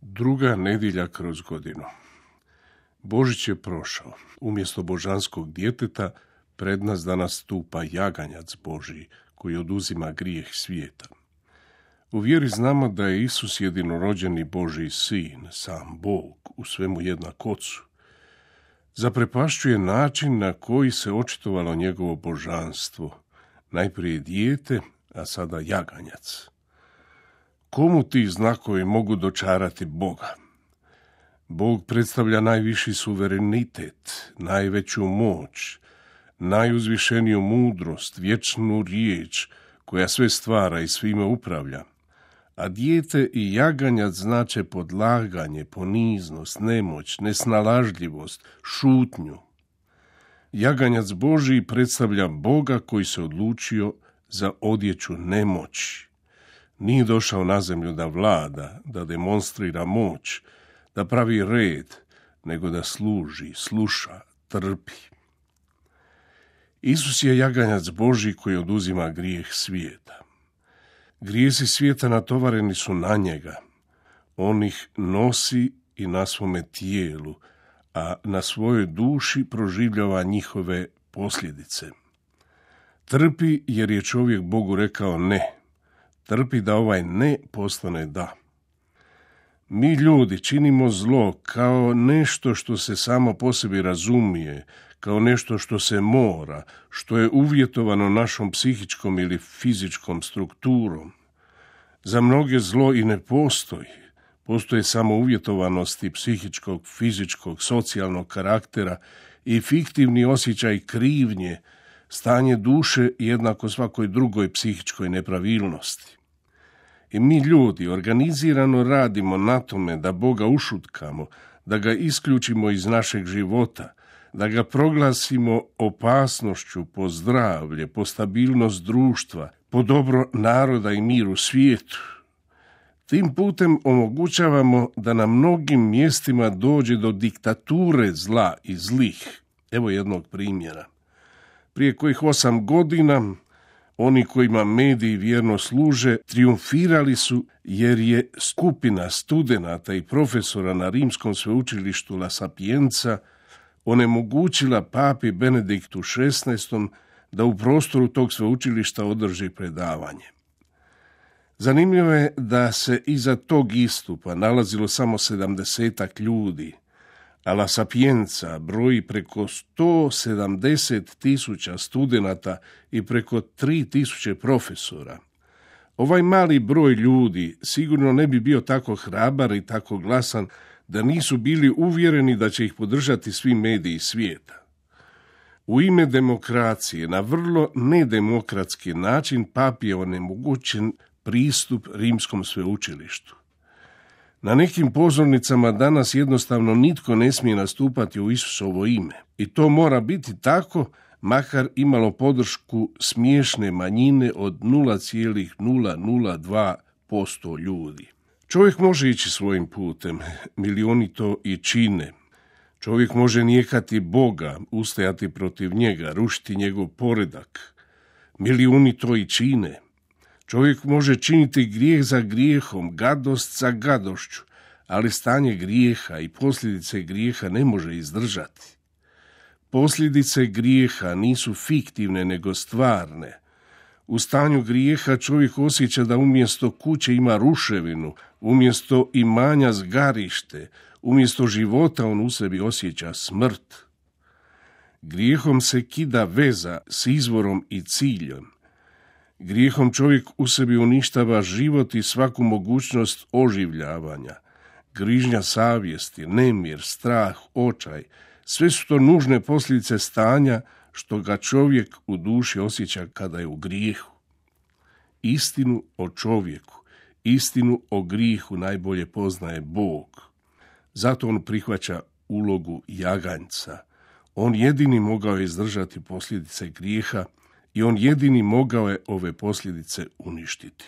Druga nedjelja kroz godinu. Božić je prošao. Umjesto božanskog djeteta pred nas danas stupa jaganjac Božji koji oduzima grijeh svijeta. U vjeri znamo da je Isus jedinorođeni Božji sin, sam Bog, u svemu jednak Ocu. Zaprepašćuje način na koji se očitovalo njegovo božanstvo. Najprije dijete, a sada jaganjac. Komu ti znakovi mogu dočarati Boga? Bog predstavlja najviši suverenitet, najveću moć, najuzvišeniju mudrost, vječnu riječ koja sve stvara i svime upravlja. A dijete i jaganjac znače podlaganje, poniznost, nemoć, nesnalažljivost, šutnju. Jaganjac Božji predstavlja Boga koji se odlučio za odjeću nemoći. Nije došao na zemlju da vlada, da demonstrira moć, da pravi red, nego da služi, sluša, trpi. Isus je jaganjac Božji koji oduzima grijeh svijeta. Grijesi svijeta natovareni su na njega. On ih nosi i na svome tijelu, a na svojoj duši proživljava njihove posljedice. Trpi jer je čovjek Bogu rekao ne. Trpi da ovaj ne postane da. Mi ljudi činimo zlo kao nešto što se samo po sebi razumije, kao nešto što se mora, što je uvjetovano našom psihičkom ili fizičkom strukturom. Za mnoge zlo i ne postoji. Postoje samo uvjetovanosti psihičkog, fizičkog, socijalnog karaktera i fiktivni osjećaj krivnje, stanje duše jednako svakoj drugoj psihičkoj nepravilnosti. I mi ljudi organizirano radimo na tome da Boga ušutkamo, da ga isključimo iz našeg života, da ga proglasimo opasnošću po zdravlje, po stabilnost društva, po dobro naroda i mir u svijetu. Tim putem omogućavamo da na mnogim mjestima dođe do diktature zla i zlih. Evo jednog primjera. Prije kojih 8 godina oni kojima mediji vjerno služe trijumfirali su jer je skupina studenata i profesora na Rimskom sveučilištu La Sapienza onemogućila papi Benediktu XVI da u prostoru tog sveučilišta održi predavanje. Zanimljivo je da se iza tog istupa nalazilo samo 70 ljudi, a La Sapienza broji preko 170.000 studenata i preko 3.000 profesora. Ovaj mali broj ljudi sigurno ne bi bio tako hrabar i tako glasan da nisu bili uvjereni da će ih podržati svi mediji svijeta. U ime demokracije, na vrlo nedemokratski način, papi je onemogućen pristup Rimskom sveučilištu. Na nekim pozornicama danas jednostavno nitko ne smije nastupati u Isusovo ime. I to mora biti tako, makar imalo podršku smiješne manjine od 0,002% ljudi. Čovjek može ići svojim putem, milioni to i čine. Čovjek može nijekati Boga, ustajati protiv njega, rušiti njegov poredak. Milijuni to i čine. Čovjek može činiti grijeh za grijehom, gadost za gadošću, ali stanje grijeha i posljedice grijeha ne može izdržati. Posljedice grijeha nisu fiktivne nego stvarne. U stanju grijeha čovjek osjeća da umjesto kuće ima ruševinu, umjesto imanja zgarište, umjesto života on u sebi osjeća smrt. Grijehom se kida veza s izvorom i ciljem. Grijehom čovjek u sebi uništava život i svaku mogućnost oživljavanja. Grižnja savjesti, nemir, strah, očaj, sve su to nužne posljedice stanja što ga čovjek u duši osjeća kada je u grijehu. Istinu o čovjeku, istinu o grijehu najbolje poznaje Bog. Zato on prihvaća ulogu jaganjca. On jedini mogao je izdržati posljedice grijeha i on jedini mogao je ove posljedice uništiti.